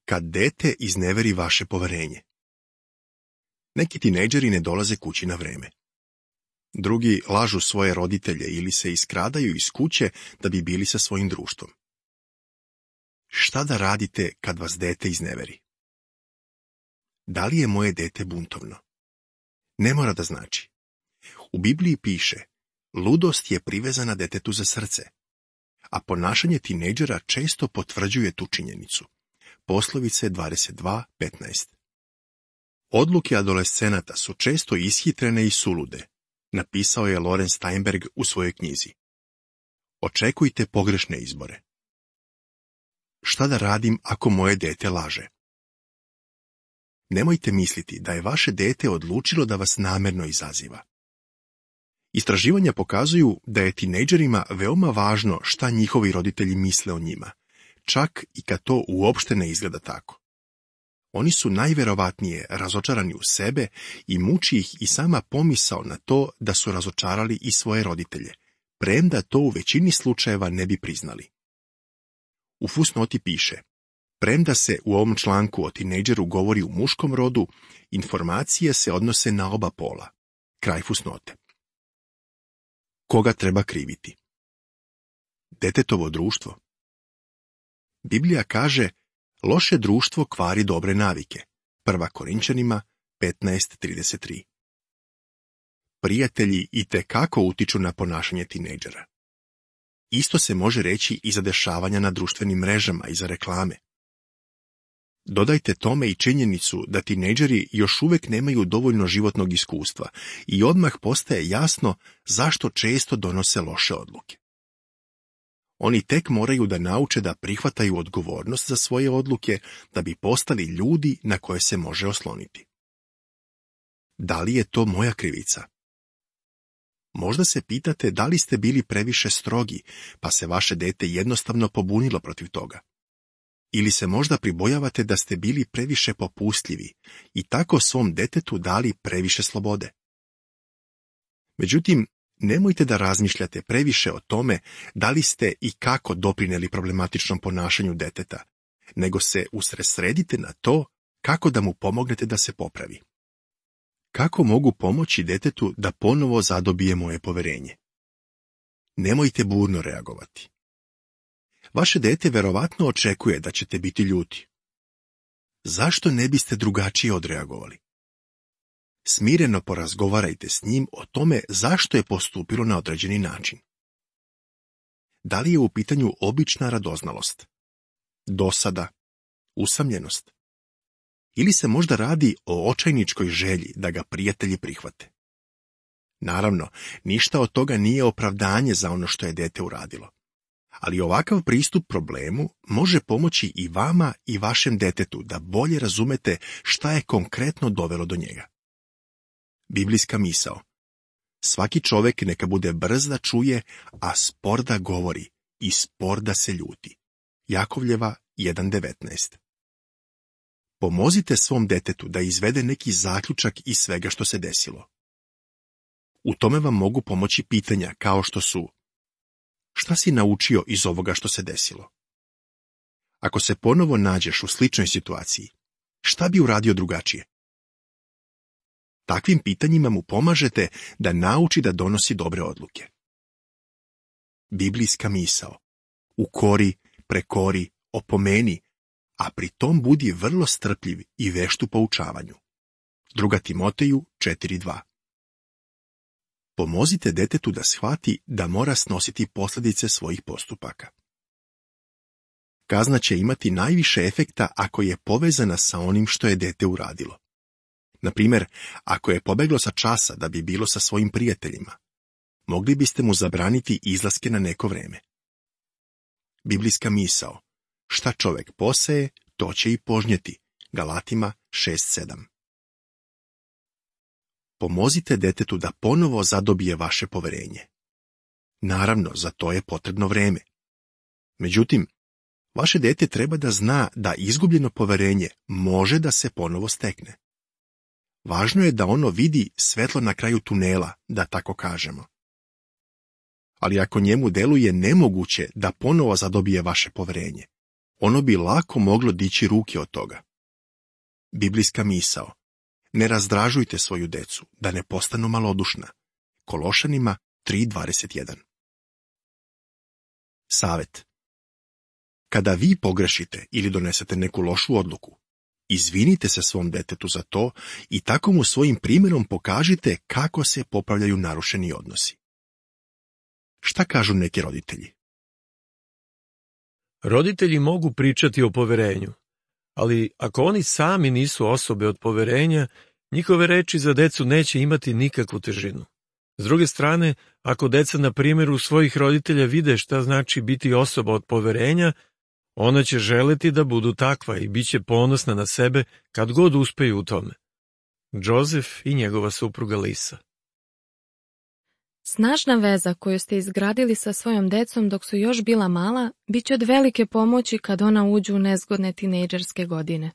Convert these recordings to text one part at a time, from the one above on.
kad dete izneveri vaše poverenje. Neki tinejdžeri ne dolaze kući na vreme. Drugi lažu svoje roditelje ili se iskradaju iz kuće da bi bili sa svojim društvom. Šta da radite kad vas dete izneveri? Da li je moje dete buntovno? Ne mora da znači. U Bibliji piše, ludost je privezana detetu za srce, a ponašanje tinejdžera često potvrđuje tu činjenicu. Poslovice 22:15. Odluke adolescenata su često ishitrene i sulude, napisao je Loren Steinberg u svojoj knjizi. Očekujte pogrešne izbore. Šta da radim ako moje dete laže? Nemojte misliti da je vaše dete odlučilo da vas namerno izaziva. Istraživanja pokazuju da je tinejdžerima veoma važno šta njihovi roditelji misle o njima, čak i kad to uopšte ne izgleda tako. Oni su najverovatnije razočarani u sebe i muči ih i sama pomisao na to da su razočarali i svoje roditelje, premda to u većini slučajeva ne bi priznali. U fusnoti piše, premda se u ovom članku o tinejdžeru govori u muškom rodu, informacije se odnose na oba pola. Kraj fusnote. Koga treba kriviti? Detetovo društvo. Biblija kaže, loše društvo kvari dobre navike. 1. Korinčanima 15:33. Prijatelji itekako utiču na ponašanje tinejdžera. Isto se može reći i za dešavanja na društvenim mrežama i za reklame. Dodajte tome i činjenicu da tinejdžeri još uvek nemaju dovoljno životnog iskustva i odmah postaje jasno zašto često donose loše odluke. Oni tek moraju da nauče da prihvataju odgovornost za svoje odluke da bi postali ljudi na koje se može osloniti. Da li je to moja krivica? Možda se pitate da li ste bili previše strogi, pa se vaše dete jednostavno pobunilo protiv toga. Ili se možda pribojavate da ste bili previše popustljivi i tako svom detetu dali previše slobode. Međutim, nemojte da razmišljate previše o tome da li ste i kako doprineli problematičnom ponašanju deteta, nego se usredsredite na to kako da mu pomognete da se popravi. Kako mogu pomoći detetu da ponovo zadobije moje poverenje? Nemojte burno reagovati. Vaše dete verovatno očekuje da ćete biti ljuti. Zašto ne biste drugačije odreagovali? Smireno porazgovarajte s njim o tome zašto je postupilo na određeni način. Da li je u pitanju obična radoznalost, dosada, usamljenost? Ili se možda radi o očajničkoj želji da ga prijatelji prihvate? Naravno, ništa od toga nije opravdanje za ono što je dete uradilo. Ali ovakav pristup problemu može pomoći i vama i vašem detetu da bolje razumete šta je konkretno dovelo do njega. Biblijska misao. Svaki čovek neka bude brz da čuje, a spor da govori i spor da se ljuti. Jakovljeva 1:19. Pomozite svom detetu da izvede neki zaključak iz svega što se desilo. U tome vam mogu pomoći pitanja kao što su: šta si naučio iz ovoga što se desilo? Ako se ponovo nađeš u sličnoj situaciji, šta bi uradio drugačije? Takvim pitanjima mu pomažete da nauči da donosi dobre odluke. Biblijska misao. Ukori, prekori, opomeni, a pri tom budi vrlo strpljiv i vešt u poučavanju. 2. Timoteju 4:2. Pomozite detetu da shvati da mora snositi posljedice svojih postupaka. Kazna će imati najviše efekta ako je povezana sa onim što je dete uradilo. Na primjer, ako je pobeglo sa časa da bi bilo sa svojim prijateljima, mogli biste mu zabraniti izlaske na neko vreme. Biblijska misao. Šta čovek poseje, to će i požnjeti. Galatima 6:7. Pomozite detetu da ponovo zadobije vaše poverenje. Naravno, za to je potrebno vreme. Međutim, vaše dete treba da zna da izgubljeno poverenje može da se ponovo stekne. Važno je da ono vidi svetlo na kraju tunela, da tako kažemo. Ali ako njemu deluje nemoguće da ponovo zadobije vaše poverenje, ono bi lako moglo dići ruke od toga. Biblijska misao: ne razdražujte svoju decu, da ne postanu malodušna. Kološanima 3:21. Savet: kada vi pogrešite ili donesete neku lošu odluku, izvinite se svom detetu za to i tako mu svojim primjerom pokažite kako se popravljaju narušeni odnosi. Šta kažu neki roditelji? Roditelji mogu pričati o poverenju, ali ako oni sami nisu osobe od poverenja, njihove reči za decu neće imati nikakvu težinu. S druge strane, ako deca na primjeru svojih roditelja vide šta znači biti osoba od poverenja, ona će želeti da budu takva i bit će ponosna na sebe kad god uspeju u tome. Joseph i njegova supruga Lisa. Snažna veza koju ste izgradili sa svojom decom dok su još bila mala, bit će od velike pomoći kad ona uđu u nezgodne tinejdžerske godine.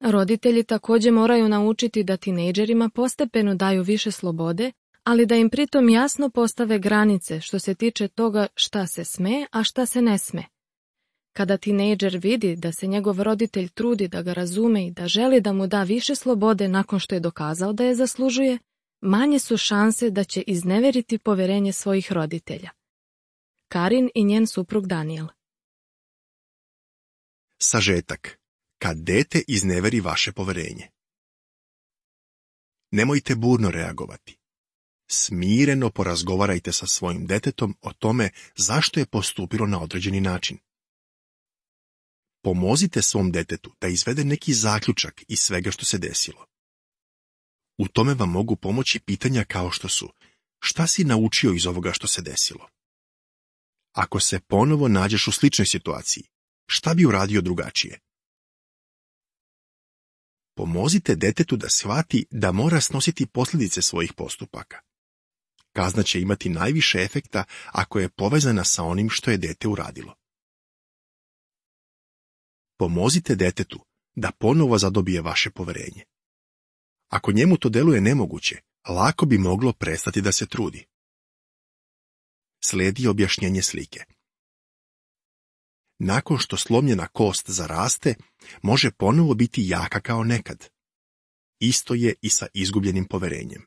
Roditelji također moraju naučiti da tinejdžerima postepeno daju više slobode, ali da im pritom jasno postave granice što se tiče toga šta se sme, a šta se ne sme. Kada tinejdžer vidi da se njegov roditelj trudi da ga razume i da želi da mu da više slobode nakon što je dokazao da je zaslužuje, manje su šanse da će izneveriti poverenje svojih roditelja. Karin i njen suprug Daniel. Sažetak: kad dete izneveri vaše poverenje. Nemojte burno reagovati. Smireno porazgovarajte sa svojim detetom o tome zašto je postupilo na određeni način. Pomozite svom detetu da izvede neki zaključak iz svega što se desilo. U tome vam mogu pomoći pitanja kao što su: šta si naučio iz ovoga što se desilo? Ako se ponovo nađeš u sličnoj situaciji, šta bi uradio drugačije? Pomozite detetu da shvati da mora snositi posljedice svojih postupaka. Kazna će imati najviše efekta ako je povezana sa onim što je dete uradilo. Pomozite detetu da ponovo zadobije vaše poverenje. Ako njemu to deluje nemoguće, lako bi moglo prestati da se trudi. Slijedi objašnjenje slike. Nakon što slomljena kost zaraste, može ponovo biti jaka kao nekad. Isto je i sa izgubljenim poverenjem.